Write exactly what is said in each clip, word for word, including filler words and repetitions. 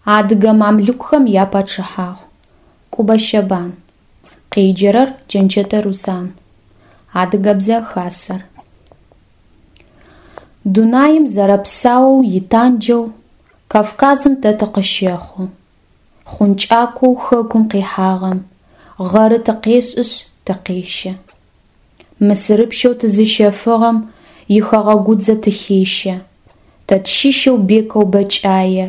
Адыгэ мамлюкхэм япачъыхьагъу. Кӏубэ Щэбан. Къеджэрэр Джэнчэтэ Руслъан. Адыгэбзэ хасэр. Дунаим зэрэпсаоу итанджэу Кавказым тэ тыкъыщэхъу. Хъункӏакӏоу хэкум къихьагъэм гъэры тыкъешӏышъ тыкъещэ. Мысырыпщэу тызыщэфыгъэм ихэгъэгудзэ тыхещэ. Тэ тщыщэу бекэу бэкӏае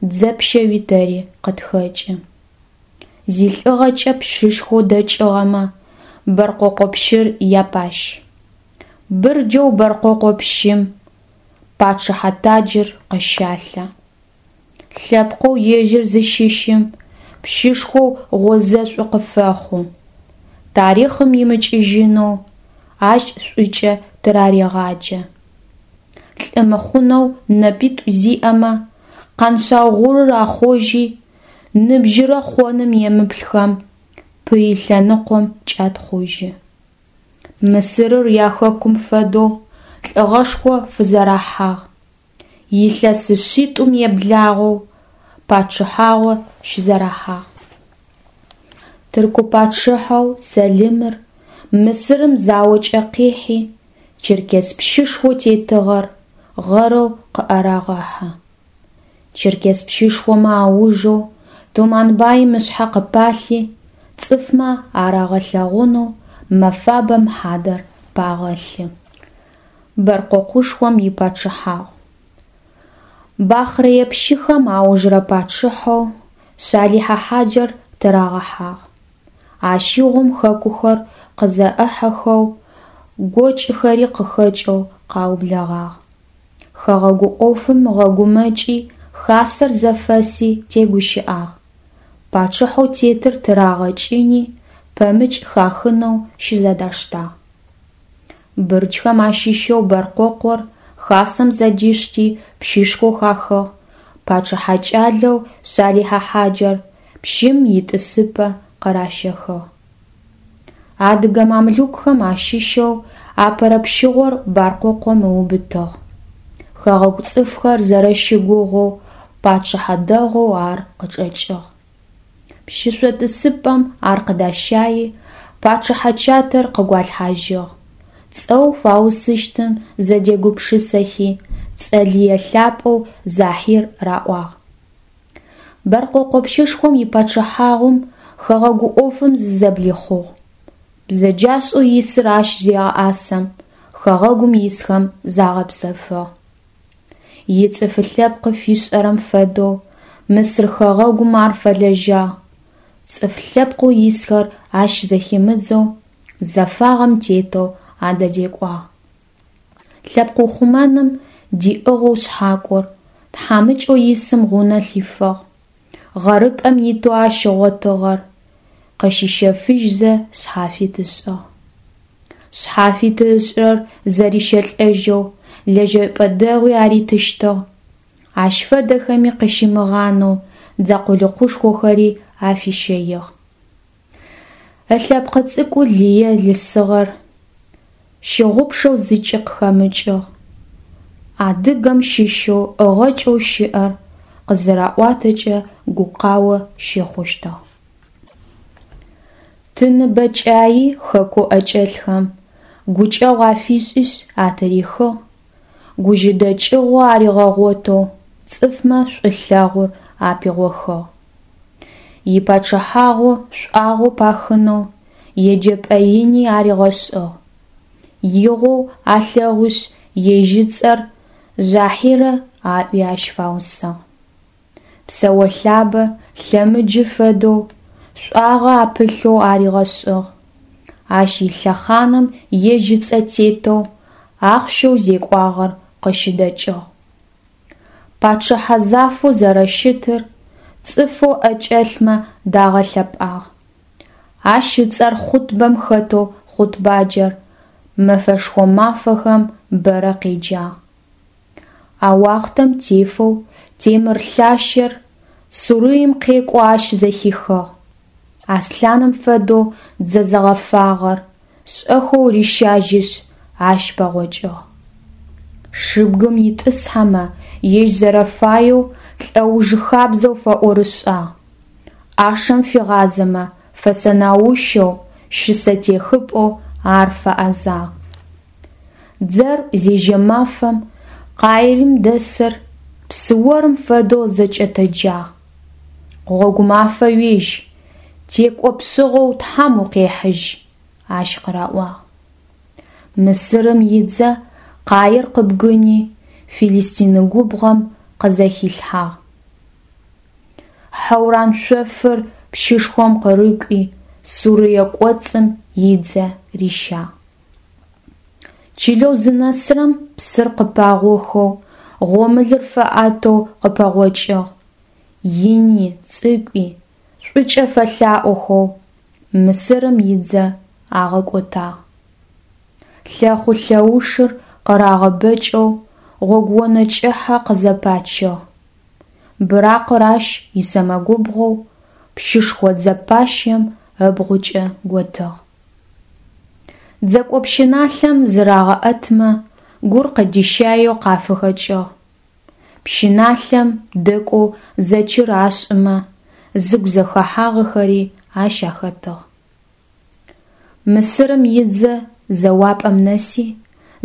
дзэпщэуи тэри къытхэкӏы. Зилӏыгъэкӏэ пщышхоу дэкӏыгъэмэ Бэркъокъо пщыр япащ. Бырджэу Бэркъокъо пщым пачъыхьэ таджыр къыщалъэ. Лъэпкъэу ежьыр зыщыщым пщышхоу гъозэшӏу къыфэхъу. Тарихъым имыкӏыжьынэу ащ шӏукӏэ тырарегъаджэ. Лӏы мыхъунэу нэпитӏу зиӏэмэ Къэншъаугъурыр ахъожьи, ныбжьырэ хъоным емыплъхэм пый лъэныкъом кӏатхъужьы. Мысырыр яхэкум фэдэу лӏыгъэшхо фызэрахьагъ, илъэс шъитӏум еблагъэу пачъыхьагъо щызэрахьагъ. Тырку пачъыхьэу Сэлымыр Мысырым заокӏэ къихьи, черкес пщышхоу тетыгъэр гъэрэу къыӏэрагъэхьэ. Черкес пщышхомэ аужэу Туманбаим ышъхьэ къыпалъи, цӏыфмэ арагъэлъэгъунэу мэфабэм хьадэр пагъэлъы. Бэркъокъушхом ипачъыхьагъу. Бахърэе пщыхэм аужрэ пачъыхьэу Шъалихьэ Хьаджэр тырагъэхьагъ. Ащыгъум хэкухэр къызэӏыхьэхэу, гокӏыхэри къыхэкӏэу къаублэгъагъ. Хэгъэгу ӏофым ыгъэгумэкӏи хасэр зэфэси тегущыӏагъ. Пачъыхьэу тетыр тырагъэкӏыни, пэмыкӏ хахынэу щызэдаштагъ. Бырджхэм ащыщэу Бэркъокъор хасэм зэдишти пщышхоу хахыгъ, пачъыхьэ кӏалэу Шъалихьэ Хьаджэр пщым итӏысыпӏэ къыращэхыгъ. Адыгэ мамлюкхэм ащыщэу апэрэ пщыгъор Баркъокъом ыубытыгъ. Хэгъэгу цӏыфхэр зэрэщыгугъэу пачъыхьэ дэгъоу ар къычӏэкӏыгъ. Пщышъо тӏысыпӏэм ар къыдащайи, пачъыхьэ чатэр къыгуалъхьажьыгъ, цӏэу фаусыщтым зэдегупшысэхи, цӏэ лые лъапӏэу Захьир раӏуагъ. Бэркъокъо пщышхом ипачъыхьагъум хэгъэгу ӏофым зызэблихъугъ. Бзэджашӏэу исыр ащ зегъэӏасэм, хэгъэгум исхэм загъэпсэфыгъ. Ицӏыф лъэпкъы фишӏэрэм фэдэу Мысыр хэгъэгум ар фэлэжьагъ, цӏыф лъэпкъэу исхэр ащ зэхимыдзэу, зэфагъэм тетэу адэзекӏуагъ. Лъэпкъ ухъумэным диӏыгъэу шъхьакӏор, тхьамыкӏэу исым гъунэ лъифыгъ, гъэрыпӏэм итэу ащ ыгъотыгъэр къыщищэфыжьзэ шъхьафит ышӏыгъ. Шъхьафиты ышӏырэр зэрищэлӏэжьэу лэжьэпӏэ дэгъуи аритыщтыгъ, ащ фэдэхэми къыщимыгъанэу дзэ къулыкъушхохэри афищэигъ. Ылъэпкъы цӏыкӏу лые лъысыгъэр щыгъупшэу зыкӏи къыхэмыкӏыгъ. Адыгэм щыщэу ӏыгъэкӏэу щыӏэр къызыраӏуатэкӏэ гукъао щыхъущтыгъ. Тыны бэкӏаи хэкоу ӏэкӏэлъхэм гукӏэгъу афишӏишъ атырихыгъ, гужьыдэкӏыгъо аригъэгъотэу цӏыфмэ шӏулъэгъур апигъохыгъ. Ипачъыхьагъу шӏуагъэу пахынэу еджэпӏэ ини аригъэшӏыгъ. Игъоу алъэгъушъ ежь ыцӏэр Жъахьирэ аӏуи ащ фаусыгъ. Псэолъабэ лъэмыджы фэдэу шӏуагъэ апылъэу аригъэшӏыгъ. Ащ илъэхъаным ежь ыцӏэ тетэу ахъщэу зекӏуагъэр къыщыдэкӏыгъ. Пачъыхьэ зафэу зэрэщытыр цӏыфэу ӏэкӏэлъмэ дагъэлъэпӏагъ. Ащ ыцӏэр хъутбэм хэтэу хъутбаджэр мэфэшхо мафэхэм бэрэ къеджагъ. А уахътэм тефэу Темыр лъащэр Сурыем къекӏоу ащ зэхихыгъ. Аслъаным фэдэу дзэ зэгъэфагъэр шӏэхэу рищажьишъ ащ пэгъокӏыгъ. Шыбгым итӏысхьэмэ ежь зэрэфаеу лӏэуж хабзэу фэӏорышӏагъ, ӏашэм фигъазэмэ фэсэнаущэу, щысэтехыпӏэу ар фэӏэзагъ. Дзэр зежьэ мафэм Каирым дэсыр псыорым фэдэу зэкӏэтэджагъ. Гъогу мафэ уежь, текӏо пшӏыгъэу Тхьэм укъехьыжь, ащ къыраӏуагъ. Мысырым идзэ Каир къыбгыни, Филистин губгъом къызэхилъхьагъ. Хьэуран шъофыр пщышхом къырыкӏуи, Сурие кӏоцӏым идзэ рищагъ. Чылэу зынэсырэм псыр къыпагъохэу, гъомылэр фаӏэтэу къыпэгъокӏыгъ. Ини, цӏыкӏуи шӏукӏэ фэлъаӏохэу Мысырым идзэ агъэкӏотагъ. Лъэхъу-лъэушыр къырагъэбэкӏэу гъогуонэ кӏыхьэ къызэпачыгъ. Быракъыр ащ исэмэгубгъоу, пщышхо дзэпащэм ыбгъукӏэ готыгъ. Дзэкӏо пщыналъэм зырагъэӏэтмэ, гур къыдищаеу къафыхэкӏыгъ. Пщыналъэм дэкӏоу зэчыр ашӏымэ, зыгу зэхэхьагъэхэри ащ ахэтыгъ. Мысырым идзэ зэуапӏэм нэси,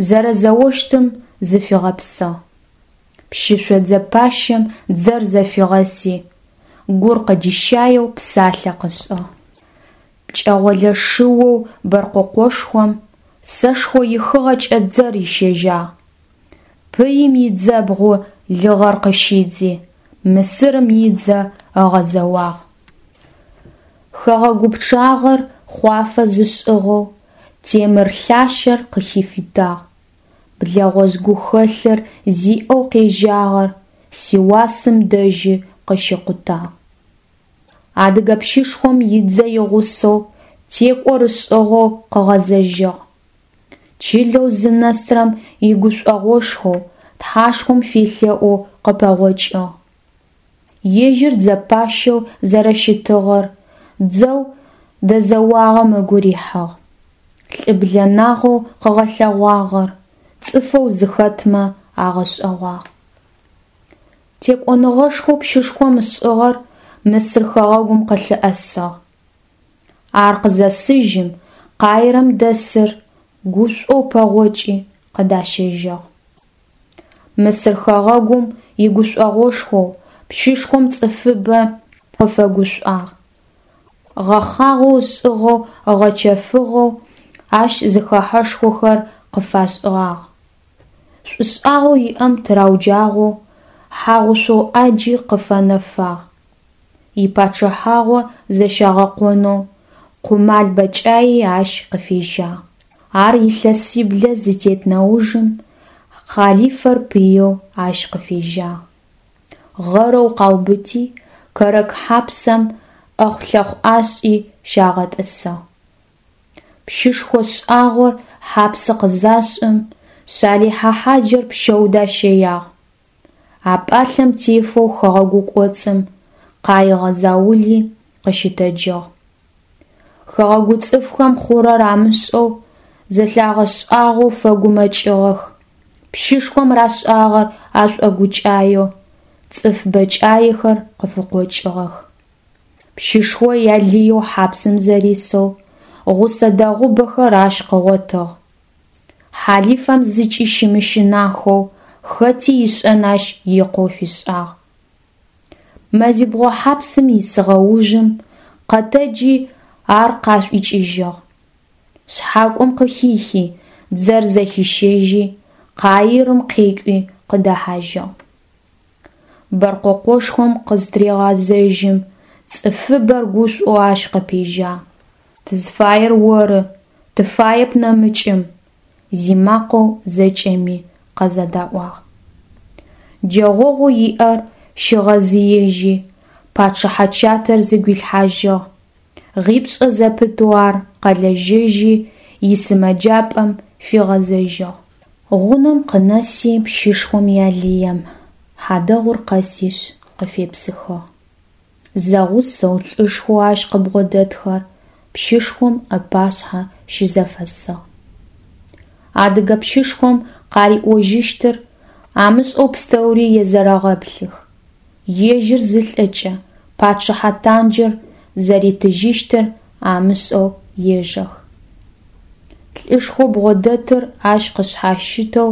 зэрэзэощтым зыфигъэпсыгъ. Пщышъо дзэпащэм дзэр зэфигъэси, гур къыдищаеу псалъэ къышӏыгъ. Пкӏэгъолэ шыоу Бэркъэкъошхом сэшхо ихыгъэкӏэ дзэр рищэжьагъ. Пыим идзэбгъу лыгъэр къыщидзи, Мысырым идзэ ыгъэзэуагъ. Хэгъэгу пчъагъэр хъуафэ зышӏыгъэу, темыр лъащэр къыхифытагъ. Блэгъожъ гухэлъыр зиӏэу къежьагъэр Сиуасым дэжьы къыщикъутагъ. Адыгэ пщышхом идзэ игъусэу текӏор ышӏыгъэу къыгъэзэжьыгъ. Чылэу зынэсырэм игушӏогъошхоу, Тхьэшхом фелъэӏоу къыпэгъокӏыгъ. Ежьыр дзэпащэу зэрэщытыгъэр дзэу дэзэуагъэм ыгу рихьыгъ. Лӏыблэнагъэу къыгъэлъэгъуагъэр цӏыфэу зыхэтмэ агъэшӏэгъуагъ. Текӏоныгъэшхоу пщышхом ышӏыгъэр Мысыр хэгъэгум къылъыӏэсыгъ. Ар къызэсыжьым Каирэм дэсыр гушӏоу пэгъокӏи къыдащэжьыгъ. Мысыр хэгъэгум игушӏогъошхоу пщышхом цӏыфыбэ къыфэгушӏуагъ. Гъэхъагъэу ышӏыгъэу ыгъэчэфыгъэу ащ зэхэхьэшхохэр къыфашӏыгъагъ. Шӏушӏагъэу иӏэм тырауджагъоу хьагъушъу ӏаджи къыфэнэфагъ. Ипачъыхьагъу зэщагъэкъонэу къумал бэкӏаи ащ къыфежьагъ. Ар илъэсиблэ зытет нэужым хъалифэр пыеу ащ къыфежьагъ. Гъэрэу къаубыти, Кэрэк хьапсэм ӏэхъулъэхъу ашӏи щагъэтӏысыгъ. Пщышхо шӏагъор хьапсы къызашӏым, Шъалихьэ хьаджэр пщэу дащэягъ. А пӏалъэм тефэу хэгъэгу кӏоцӏым къаигъэ заули къыщытэджыгъ. Хэгъэгу цӏыфхэм хъурэр амышӏэу, зэлъагъэшӏагъоу фэгумэкӏыгъэх, пщышхом рашӏагъэр ашӏогукӏаеу цӏыф бэкӏаехэр къыфыкъокӏыгъэх. Пщышхо ялыеу хьапсым зэрисэу, гъусэ дэгъубэхэр ащ къыгъотыгъ. Хьалифэм зыкӏи щымыщынахэу хэти ишӏэн ащ икъоу фишӏагъ. Мэзибгъо хьапсым исыгъэ ужым къэтэджи ар къашӏуикӏыжьыгъ. Шъхьакӏом къыхихи, дзэр зэхищэжьи, Каирым къекӏуи къыдэхьажьыгъ. Бэркъэкъошхом къызтырегъэзэжьым, цӏыфыбэр гушӏоу ащ къыпежьагъ. Тызфаер оры, тыфаеп нэмыкӏым, зимакъэу зэкӏэми къызэдаӏуагъ. Джэгъогъоу иӏэр щигъэзыежьи, пачъыхьэ чатэр зыгуилъхьажьыгъ. Гъипшӏэ зэпытэу ар къэлэжьэжьи, исымэджапӏэм фигъэзэжьыгъ. Гъунэм къынэси пщышхом ялыем, хьадэгъур къэсишъ къыфепсыхыгъ. Зэгъусэу лӏышхоу ащ къыбгъодэтхэр пщышхом ыпашъхьэ щызэфэсыгъ. Адыгэ пщышхом къариӏожьыщтыр амышӏэу пстэури езэрэгъэплъых. Ежьыр зылӏэкӏэ пачъыхьэ танджыр зэритыжьыщтыр амышӏэу ежэх. Лӏышхоу бгъодэтыр ащ къышъхьащытэу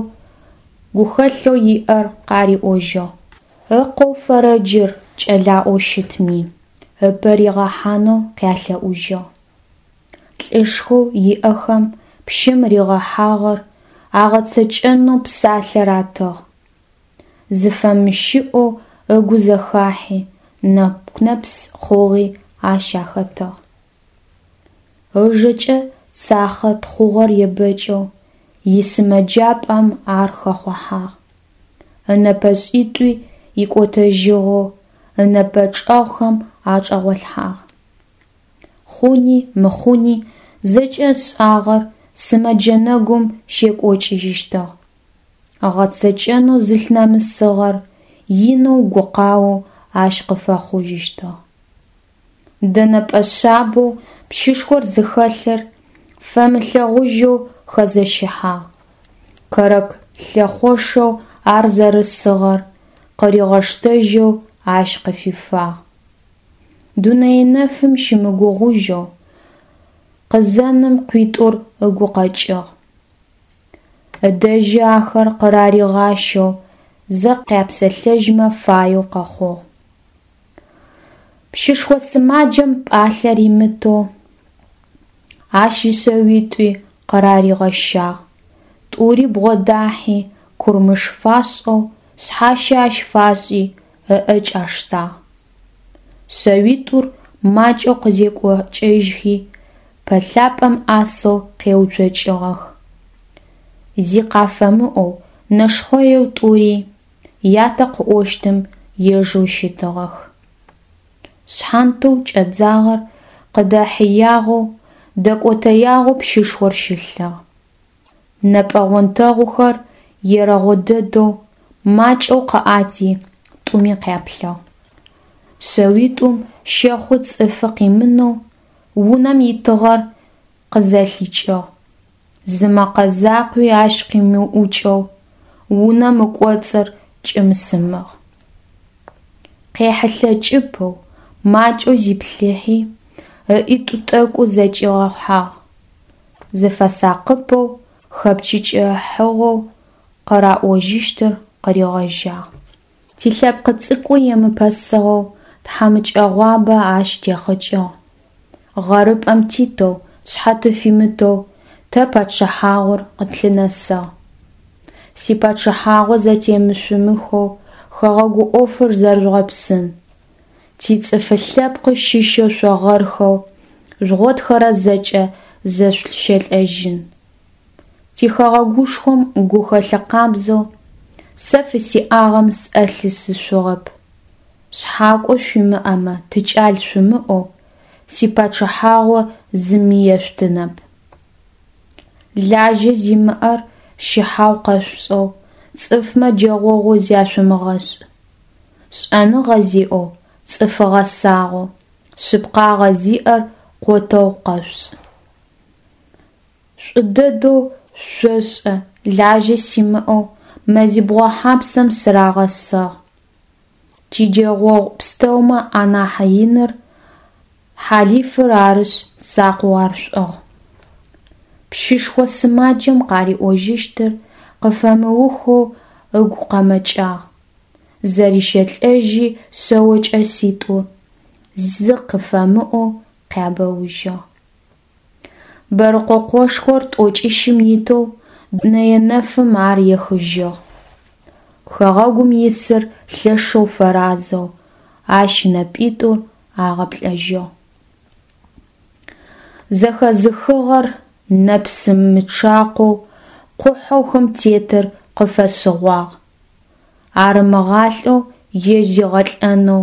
гухэлъэу иӏэр къариӏожьыгъ. Ыкъоу Фэрэджыр кӏэлаӏоу щытми, ыпэ ригъэхьанэу къялъэӏужьыгъ. Лӏышхоу иӏэхэм пщым рихъухьагъэр агъэцэкӏэнэу псалъэ ратыгъ. Зыфэмыщыӏэу ыгу зэхахьи, нэку-нэпс хъугъи ащ ахэтыгъ. Ыжэкӏэ цахъэ тхъугъэр ебэкӏэу исымэджапӏэм ар хэхъухьагъ. Ынэпэшӏитӏуи икӏотэжьыгъэу ынэпэ чӏэгъхэм ачӏэгъолъхьагъ. Хъуни мыхъуни зэкӏэ ышӏагъэр сымэджэ нэгум щекӏокӏыжьыщтыгъ. Ыгъэцэкӏэнэу зылъынэмысыгъэр инэу гукъао ащ къыфэхъужьыщтыгъ. Дэнэпӏэ шъабэу пщышхор зыхэлъыр фэмылъэгъужьэу хэзэщыхьагъ, кэрэк лъэхъошэу ар зэрысыгъэр къыригъэштэжьэу ащ къыфифагъ. Дунэе нэфым щымыгугъужьэу къызэным къуитӏур ыгу къэкӏыгъ. Ыдэжьы ахэр къыраригъащэу зэ къяпсэлъэжьмэ фаеу къэхъугъ. Пщышхо сымаджэм пӏалъэ римытэу ащ ишъэуитӏуи къыраригъэщагъ, тӏури бгъодахьи, курмыш фашӏэу, шъхьащэ ащ фашӏи, ыӏэкӏэ аштагъ. Шъэуитӏур макӏэу къызекӏокӏыжьхи, пэлъапӏэм ӏасэу къеуцокӏыгъэх. Зи къафэмыӏоу, нэшхъэеу тӏури ятэ къыӏощтым ежэу щытыгъэх. Шъхьантэу кӏэдзагъэр къыдэхьыягъэу, дэкӏотэягъэу пщышхор щылъыгъ. Нэпӏэ онтэгъухэр ерэгъо дэдэу, макӏэу къыӏати, тӏуми къяплъыгъ. Шъэуитӏум щэхъу цӏыфы къимынэу унэм итыгъэр къызэлъикӏыгъ, зы мэкъэ закъуи ащ къимыӏукӏэу унэм ыкӏоцӏыр кӏым-сымыгъ. Къехьылъэкӏыпэу, макӏэу зиплъыхьи, ыӏитӏу тӏэкӏу зэкӏигъэхьагъ, зыфэсакъыпэу, хэпчъыкӏыхьыгъэу къыраӏожьыщтыр къыригъэжьагъ. Тилъэпкъы цӏыкӏу емыпэсыгъэу тхьамыкӏэгъуабэ ащ техъыкӏыгъ. Гъэрыпӏэм титэу, тшъхьэ тыфимытэу тэ пачъыхьагъур къытлъынэсыгъ. Сипачъыхьагъу зэтемышъумыхэу хэгъэгу ӏофыр зэрэжъугъэпсын. Тицӏыфы лъэпкъы щыщэу шъо гъэрхэу жъугъотхэрэр зэкӏэ зэшъущэлӏэжьын. Тихэгъэгушхом гухэлъы къабзэу сэ фысиӏагъэм сӏэ лъысышъугъэп. Шъхьакӏо шъуимыӏэмэ, тыкӏал шъумыӏоу, сипачъыхьагъу зыми ешъутынэп. Лажьэ зимыӏэр щыхьагъу къэшъушӏэу цӏыфмэ джэгъогъу зяшъумыгъэшӏ. Шӏэныгъэ зиӏэу, цӏыфы гъэсагъэу, шъыпкъагъэ зиӏэр къотэгъу къэшъушӏ. Шӏу дэдэу шъошӏэ лажьэ симыӏэу мэзибгъо хьапсым сырагъэсыгъ. Тиджэгъогъу пстэумэ анахь иныр хьалифыр арышъ, сакъэу ар шъуӏыгъ. Пщышхо сымаджэм къариӏожьыщтыр къыфэмыухэу ыгу къэмэкӏагъ, зэрищэлӏэжьи шъэо кӏэситӏур, зи къыфэмыӏоу, къябэужьыгъ. Бэрыкъокъошхор тӏокӏищым итэу дунэе нэфым ар ехыжьыгъ. Хэгъэгум исыр лъэшэу фэразэу ащ ынэпитӏур агъэплӏэжьыгъ. Зэхэзыхыгъэр нэпсым мычъакъоу, къухьэу хым тетыр къыфэшъыгъуагъ. Ар ымыгъалӏэу ежь зигъэлӏэнэу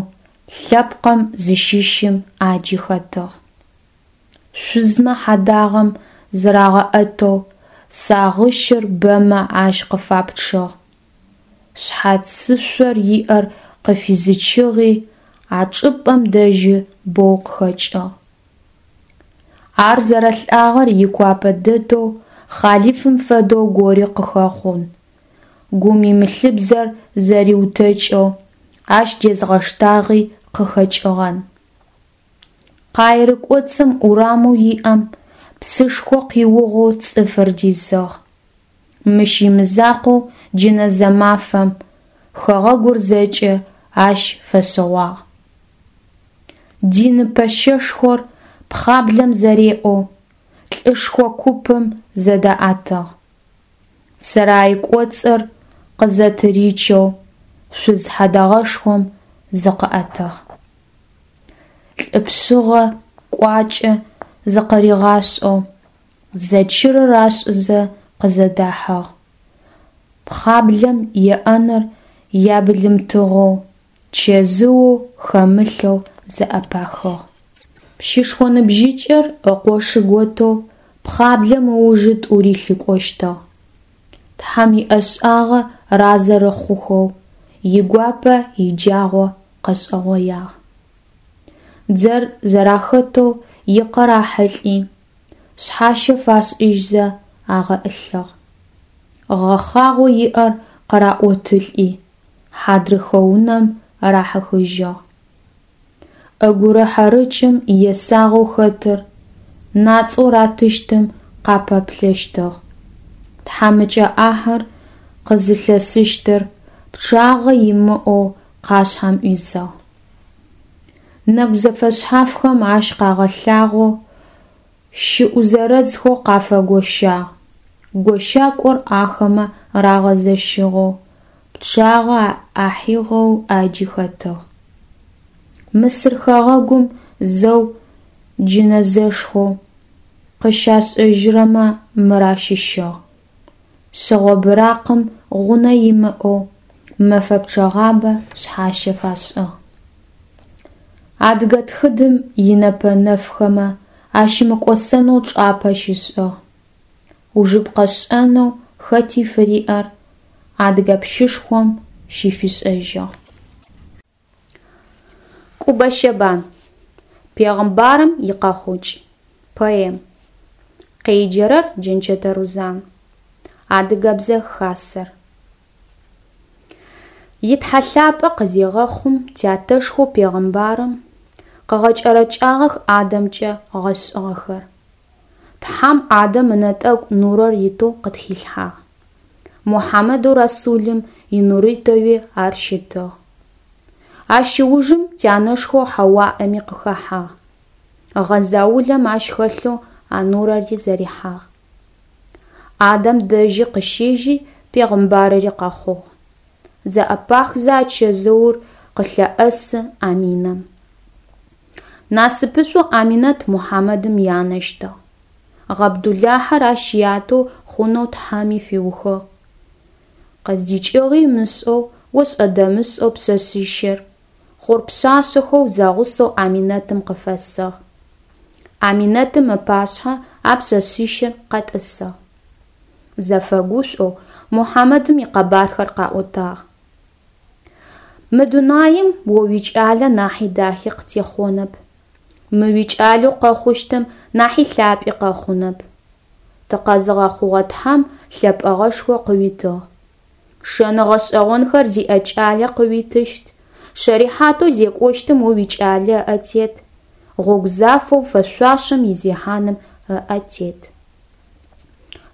лъэпкъым зыщыщым ӏаджи хэтыгъ. Шъузмэ хьадагъэм зырагъэӏэтэу сагъыщыр бэмэ ащ къыфапчъыгъ. Шъхьацышъор иӏэр къыфизычыгъи а чӏыпӏэм дэжьы боу къыхэкӏыгъ. Ар зэрэлӏагъэр игуапэ дэдэу хъалифым фэдэу гори къыхэхъун, гум имылъыбзэр зэриутэкӏэу, Ащ дезгъэштагъи къыхэкӏыгъэн. Къаирэ кӏоцӏым урамэу иӏэм псышхо къиугъэу цӏыфыр дизыгъ. Мыщ имызакъоу джэнэзэ мафэм хэгъэгур зэкӏэ ащ фэшъыгъуагъ. Дин пэщэшхор пхъаблэм зэреӏэу лӏышхо купым зыдаӏэтыгъ. Сэрай кӏоцӏыр къызэтыричэу шъуз хьэдэгъэшхом зыкъыӏэтыгъ. Лӏы пшъыгъэ кӏуачӏэ зыкъыригъашӏэу, зэчырыр ашӏызэ къызэдахьыгъ. Пхъаблэм еӏэныр ябылымтыгъэу, чэзыу хэмылъэу зэӏэпахыгъ. Пщышхо ныбжьыкӏэр ыкъошы готэу пхъаблэм ыужы тӏури лъыкӏощтыгъ. Тхьэм иӏэшӏагъэ разэ рыхъухэу, игуапэ иджагъо къэшӏэгъоягъ. Дзэр зэрахэтэу икъэ рахьылӏи, шъхьащэ фашӏыжьзэ агъэӏылъыгъ. Гъэхъагъэу иӏэр къыраӏотылӏи, хьадрыхэ унэм рахьыхыжьыгъ. ӏэгурыхьэрыкӏым есагъэу хэтыр нацӏэу ратыщтым къапэплъэщтыгъ, тхьамыкӏэ ӏахьыр къызылъысыщтыр пчъагъэ имыӏэу къашъхьэм ӏуизыгъ. Нэгу зэфэшъхьафхэм ащ къагъэлъагъоу, щыӏу зэрэдзхэу къафэгощагъ, гощакӏор ахэмэ рагъэзэщыгъэу, пчъагъэ ахьыгъэу ӏаджи хэтыгъ. Мысыр хэгъэгум зэу джэнэзэшхоу къыщашӏэжьырэмэ мыр ащыщыгъ. Шъыгъо быракъым гъунэ имыӏэу мэфэ пчъэгъабэ шъхьащэ фашӏыгъ. Адыгэ тхыдэм инэпэ нэфхэмэ ащымыкӏосэнэу чӏапӏэ щишӏыгъ. Ужыпкъэ шӏэнэу хэти фыриӏэр адыгэ пщышхом щыфишӏэжьыгъ. Кӏубэ Щэбан. Пегъымбарым икъэхъукӏ. Поэм. Къеджэрэр Джэнчэтэ Рузан. Адыгэбзэ хасэр. И Тхьэ лъапӏэ къызегъэхъум тятэшхэу пегъымбарым къыгъэкӏэрэкӏагъэх Адамкӏэ гъэшӏыгъэхэр. Тхьэм Адам ынэтӏэгу нурэр итэу къытхилъхьагъ. Мухьамэдэу Расулым инуритеуи ар щытыгъ. Ащ ыужым тянэшхоу Хьауаӏэми къыхэхьагъ. Гъэзаулэм ащ хэлъэу а нурэри зэрихьагъ. Адам дэжьи къыщежьи пегъымбарыри къэхъугъ. Зэӏэпахзэ а чэзыур къылъэӏэсы Аминэм. Насыпышӏо Аминэт Мухьамэдым янэщтыгъ. Гъабдуллахьэр ащ ятэу хъунэу Тхьэми фиухыгъ. Къыздикӏыгъи ымышӏэу, ошӏэ-дэмышӏэу пшъэшъищыр, хъур пшъашъэхэу зэгъусэу Аминэтым къыфэсыгъ. Аминэтым ыпашъхьэ а пшъэшъищыр къэтӏысыгъ. Зэфэгушӏоу Мухьамэдым икъэбархэр къаӏотагъ. Мы дунаим о уикӏалэ нахьи дахи къытехъонэп. Мы уикӏалэу къэхъущтым нахьи лъапӏи къэхъунэп. Тыкъэзыгъэхъугъэ Тхьэм лъэпӏэгъэшхо къыуитыгъ. Шэны гъэшӏэгъонхэр зиӏэ кӏалэ къыуитыщт, шэрихьатэу зекӏощтым о уикӏалэ ыӏэ тет, гъогу зафэу фэшъуашэм изехьаным ыӏэ тет.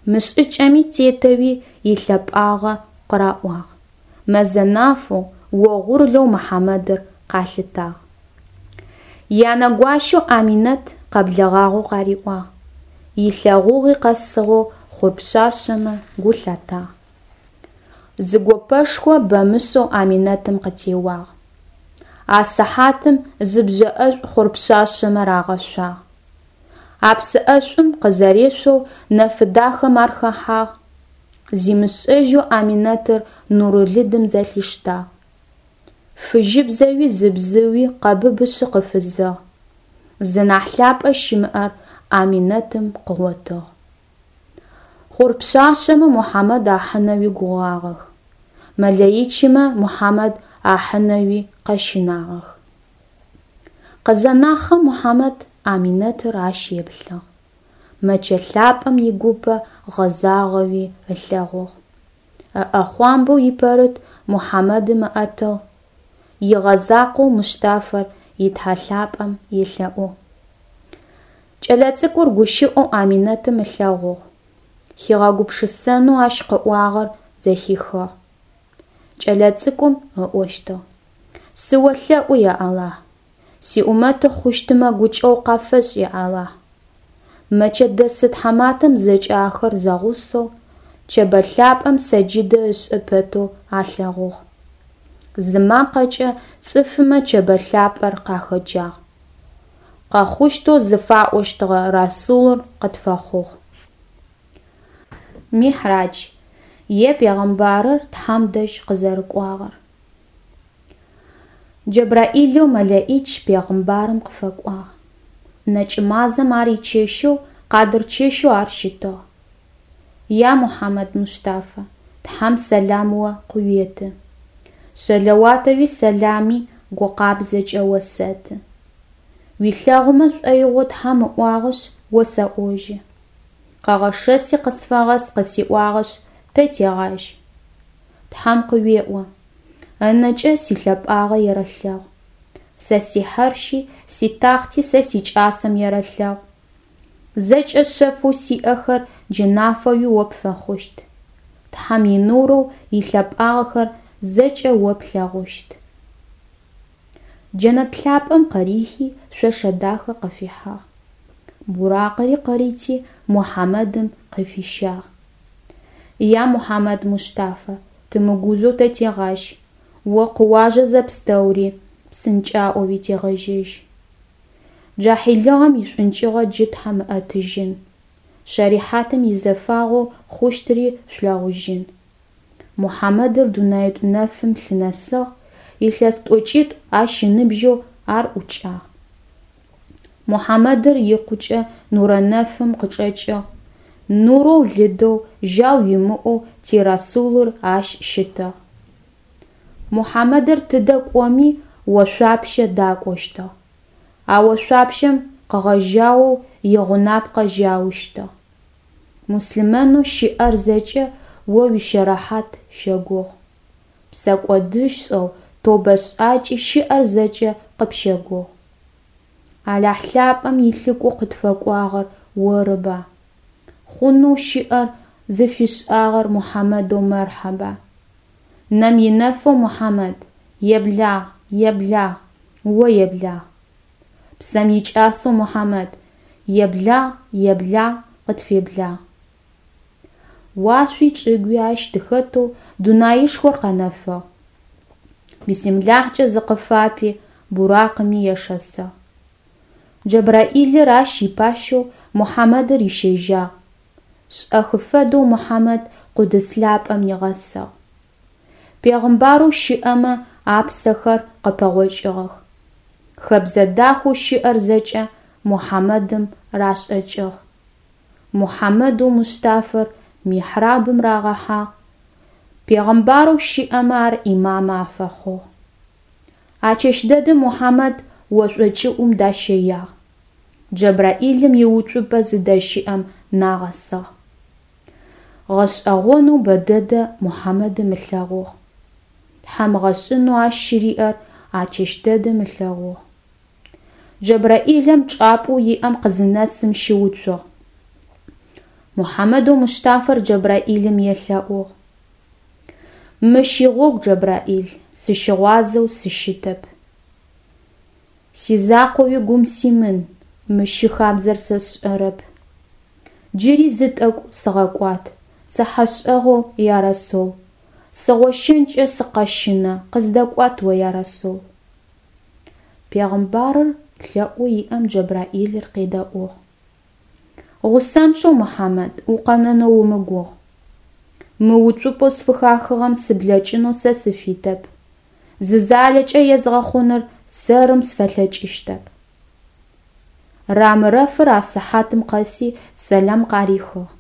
Мы шӏыкӏэми тетэуи илъэпӏагъэ къыраӏуагъ. Мэзэ нафэу, огъурлэу Мухьамэдыр къалъытагъ. Янэ гуащэу Аминэт къэблэгъагъэу къариӏуагъ. Илъэгъугъи къэсыгъэу хъур пшъашъэмэ гу лъатагъ. Зы гопэшхо бэмышӏэу Аминэтым къытеуагъ. А сыхьатым зы бжьэ ӏэшӏу хъур пшъашъэмэ рагъэшъуагъ. А псы ӏэшӏум къызэрешъоу нэфы дахэм ар хэхьагъ. Зимышӏэжьэу Аминэтыр нурылыдым зэлъиштагъ. Фыжьыбзэуи зы бзыуи къэбыбышъы къыфызыгъ. Зынахь лъапӏэ щымыӏэр Аминэтым къыгъотыгъ. Хъур пшъашъэмэ Мухьамэд ахьынэуи гугъагъэх. Мэлэӏичымэ Мухьамэд ахьынэуи къэщынагъэх. Къызэнахъэм Мухьамэд Аминэтыр ащ еплъыгъ. Мэчэ лъапӏэм игупэ гъэзагъэуи ылъэгъугъ. Ыӏэхъуамбэу ипэрыт Мухьамэдым ыӏэтыгъ. игъэзакъоу Мустафэр и Тхьэ лъапӀэм елъэӀугъ. Кӏэлэцӏыкӏур гущыӀэу Аминэтым ылъэгъугъ, хигъэгупшысэнэу ащ къыӀуагъэр зэхихыгъ. Кӏэлэцӏыкӏум ыӀощтыгъ: «СыолъэӀу, я Алахь, сиӀумэты хъущтымэ гукӀэгъу къафэшӀ, я Алахь». Мэчэт дэсы тхьаматэм зэкӀэ ахэр зэгъусэу Чэбэ лъапӀэм сэджыдэ ышӀы пэтэу алъэгъугъ. Зы макъэкӀэ цӀыфымэ Чэбэ лъапӀэр къахэджагъ: «Къэхъущтэу зыфаӀощтыгъэ Расулыр къытфэхъугъ». Михьрадж, е пегъэмбарыр Тхьэм дэжь къызэрыкӏуагъэр. Джэбраӏилэу мэлэӀич пегъымбарым къыфэкӏуагъ. Нэкӏмазэм ар ичэщэу, Къадыр чэщэу ар щытыгъ. Я Мухьамэд Мустафа, Тхьэм сэлам о къыуеты. Шъэлэуатэуи сэлами гукъабзэкӏэ осэты. Уилъэгъумэ шӏоигъоу Тхьэм ыӏуагъэшъ, осэӏожьы. Къэгъэшэси къысфэгъэс къысиӏуагъэшъ, тэ тегъажь. Тхьэм къыуеӏо: ынэкӏэ силъэпӏагъэ ерэлъэгъу. Сэ сихьэрщи, ситахъти сэ сикӏасэм ерэлъэгъу. Зэкӏэ шъэфэу сиӏэхэр джы нафэуи о пфэхъущт. Тхьэм инурэу илъэпӏагъэхэр зэкӏэ о плъэгъущт. Джэнэт лъапӏэм къырихи шъошэ дахэ къыфихьыгъ. Буракъыри къырити Мухьамэдым къыфищагъ. Я Мухьамэд Мустафа, тымыгузэу тэ тегъажь, о къыуажэ зэпстэури, псынкӏаӏоуи тегъэжьэжь. Джахьилыгъэм ишӏункӏыгъэ джы Тхьэм ыӏэтыжьын. Шэрихьатым изэфагъэу хъущтыри шъулъэгъужьын. Мухьамэдыр дунаитӏу нэфым лъынэсыгъ, илъэс тӏокӏитӏу ащ ыныбжьэу ар ӏукӏагъ. Мухьамэдыр икъукӏэ нурэ нэфым къычӏэкӏыгъ, нурэу лыдэу, жьау имыӏэу ти Расулыр ащ щытыгъ. Мухьамэдыр тыдэ кӏоми ошъуапщэ дакӏощтыгъ, а ошъуапщэм къыгъэжьаоу игъунапкъэ жьаущтыгъ. Муслъымэнэу щыӏэр зэкӏэ о уищэрэхьат щэгугъу. Псэкӏодышӏэу тобэ шӏакӏи щыӏэр зэкӏэ къыпщэгугъу. Алахь лъапӏэм илъыкӏоу къытфэкӏуагъэр орыба? Хъунэу щыӏэр зыфишӏагъэр Мухьамэдэу мэрхьаба. Нэм инэфэу Мухьамэд, еблагъ, еблагъ, о еблагъ. Псэм икӏасэу Мухьамэд, еблагъ, еблагъ, къытфеблагъ. Уашъуи чӏыгуи ащ тыхэтэу дунаишхор къэнэфыгъ. Бисмилахькӏэ зыкъыфапи буракъыми ешэсыгъ. Джэбраӏилыр ащ ипащэу Мухьамэдыр рищэжьагъ. Шӏэхы фэдэу Мухьамэд Къудыс лъапӏэм нигъэсыгъ. Пегъымбарэу щыӏэмэ апсэхэр къыпэгъокӏыгъэх. Хэбзэ дахэу щыӏэр зэкӏэ Мухьамэдым рашӏэкӏыгъ. Мухьамэдэу Мустафэр михрабым рагъэхьагъ. Пегъымбарэу щыӏэмэ ар имамэ афэхъугъ. А чэщ дэдэм Мухьамэд ошӏо кӏыӏум дащэягъ. Джэбраӏилым иуцупӏэ зыдэщыӏэм нагъэсыгъ. Гъэшӏэгъонэу бэдэдэ Мухьамэдым ылъэгъугъ. Тхьэм гъэшӏынэу ащ щыриӏэр а чэщ дэдэм ылъэгъугъ. Джэбраӏилым чӏапӏэу иӏэм къызынэсым щыуцугъ. Мухьамэдэу Мустафэр Джэбраӏилым елъэӏугъ: «Мыщ игъогу, Джэбраӏил, сыщыгъуазэу сыщытэп. Сизакъоуи гум симын, мыщ щыхабзэр сэ сшӏэрэп. Джыри зы тӏэкӏу сыгъэкӏуат, цыхьэшӏэгъоу, я Расул. Сыгъощэнкӏэ сыкъэщынэ, къыздэкӏуат о, я Расул». Пегъымбарыр лъэӏоу иӏэм Джэбраӏилыр къедэӏугъ. Гъусэнчъэу, Мухьамэд, укъэнэнэу умыгугъ. Мы уцупӏэу сфыхахыгъэм сыблэкӏынэу сэ сыфитэп. Зы залэкӏэ езгъэхъуныр сэрым сфэлъэкӏыщтэп. Рамырэфыр а сыхьатым къэси сэлам къарихыгъ.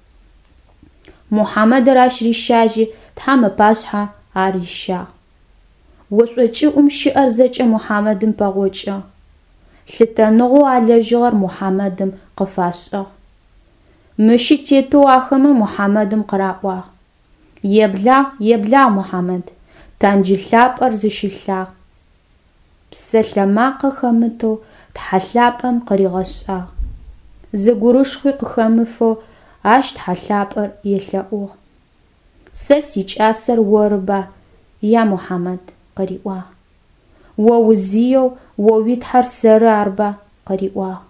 Мухьамэдыр ащ рищажьи Тхьэм ыпашъхьэ ар рищагъ. Ошӏо кӏыӏум щыӏэр зэкӏэ Мухьамэдым пэгъокӏыгъ. Лъытэныгъэу алэжьыгъэр Мухьамэдым къыфашӏыгъ. Мыщи тетэу ахэмэ Мухьамэдым къыраӏуагъ: «Еблагъ, еблагъ, Мухьамэд, танджы лъапӏэр зыщылъагъ». Псэлъэ-макъэ хэмытэу Тхьэ лъапӀэм къыригъэшӀагъ. Зы гурышхъуи къыхэмыфэу ащ Тхьэ лъапӀэр елъэӀугъ. Сэ сикӀасэр орыба, я Мухьамэд, къыриӀуагъ. О узиеу о уи Тхьэр сэры арба, къыриӀуагъ.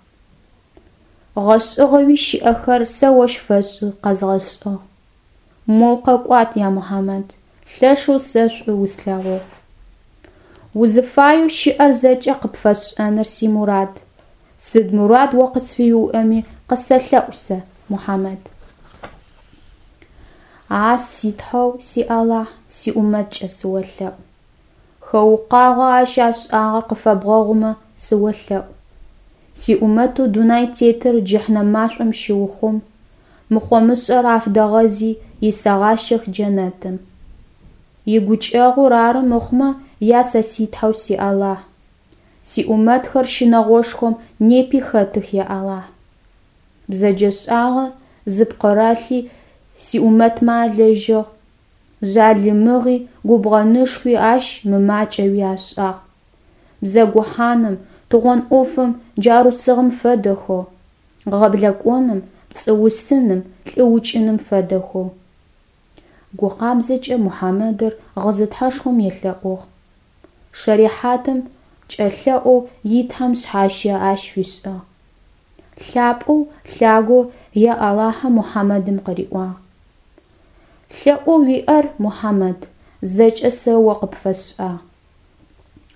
ГъэшӀыгъэуи щыӀэхэр сэ ощ фэшӀы къэзгъэшӀыгъ. Моу къэкӀуат, я Мухьамэд, лъэшэу сэ шӀу услъэгъугъ. Узыфаеу щыӀэр зэкӀэ къыпфэсшӀэныр симурад. Сыд мурад о къысфыуиӀэми къысэлъэӀу сэ, Мухьамэд. А си Тхьэу си Алахь, сиӀумэткӀэ сыолъэӀу. Хэукъуагъэу ащ ашӀагъэр къыфэбгъэгъумэ сыолъэӀу. СиӀумэтэу дунай тетыр джэхьнэм машӀом щыухъум, мыхъо-мышӀэр афыдэгъэзи исэгъащэх джэнэтым. ИгукӀэгъур ары мыхъумэ, я сэ си Тхьэу си Алахь. СиӀумэтхэр щынэгъошхом непи хэтых, я Алахь. БзэджэшӀагъэ зыпкъырэлъи сиӀумэтмэ алэжьыгъ, жъалымыгъи губгъэнышхуи ащ мымакӀэуи ашӀагъ. Бзэгухьаным, тыгъон Ӏофым джарусыгъэм фэдэхэу, гъэблэкӀоным, пцӀыусыным, лӀыукӀыным фэдэхэу. Гу къабзэкӀэ Мухьамэдыр гъызы Тхьэшхом елъэӀугъ. Шэрихьатым кӀэлъэӀоу и Тхьэм шъхьащэ ащ фишӀыгъ. ЛъапӀэу, лъагэу я Алахьым Мухьамэдым къыриӀуагъ: ЛъэӀоу уиӀэр, Мухьамэд, зэкӀэ сэ о къыпфэсшӀагъ.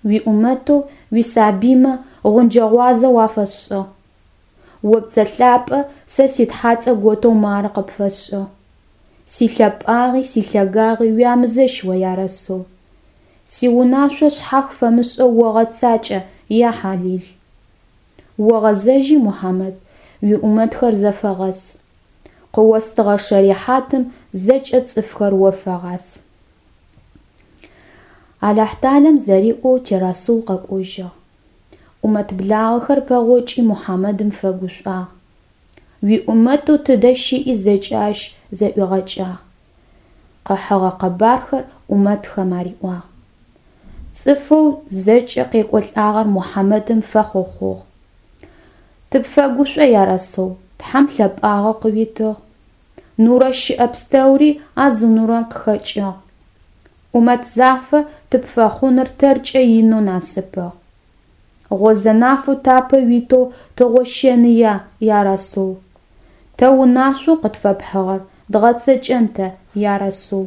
УиӀумэтэу уисабыймэ гъунджэ-гъуазэ уафэсшӀыгъ. О пцӀэ лъапӀэ сэ си ТхьацӀэ готэу мары къыпфэсшӀыгъ. СилъэпӀагъи силъэгагъи уямызэщ о, я Расул. Сиунашъо шъхьах фэмышӀэу огъэцакӀэ, я Хьалил. Огъэзэжьи, Мухьамэд, уиӀумэтхэр зэфэгъэс. Къыостыгъэ шэрихьатым зэкӀэ цӀыфхэр о фэгъас. Алахьталэм зэриӀоу тирасул къэкӀожьыгъ. Ӏумэт благъэхэр пэгъокӀи Мухьамэдым фэгушӀуагъ. УиӀумэтэу тыдэ щыӀи зэкӀэ ащ зэӀуигъэкӀагъ. Къыхьыгъэ къэбархэр Ӏумэтхэм ариӀуагъ. ЦӀыфэу зэкӀэ къекӀолӀагъэр Мухьамэдым фэхъохъугъ. ТыпфэгушӀо, я Расул, Тхьэм лъэпӀагъэ къыуитыгъ. Нурэ щыӀэ пстэури а зы нурэм къыхэкӀыгъ. Ӏумэт зафэ тыпфэхъуныр тэркӀэ инэу насыпыгъ. Гъозэнафэу тапэ уитэу тыгъощэныя, я Расул. Тэ унашъоу къытфэпхьыгъэр дгъэцэкӀэн тэ, я Расул.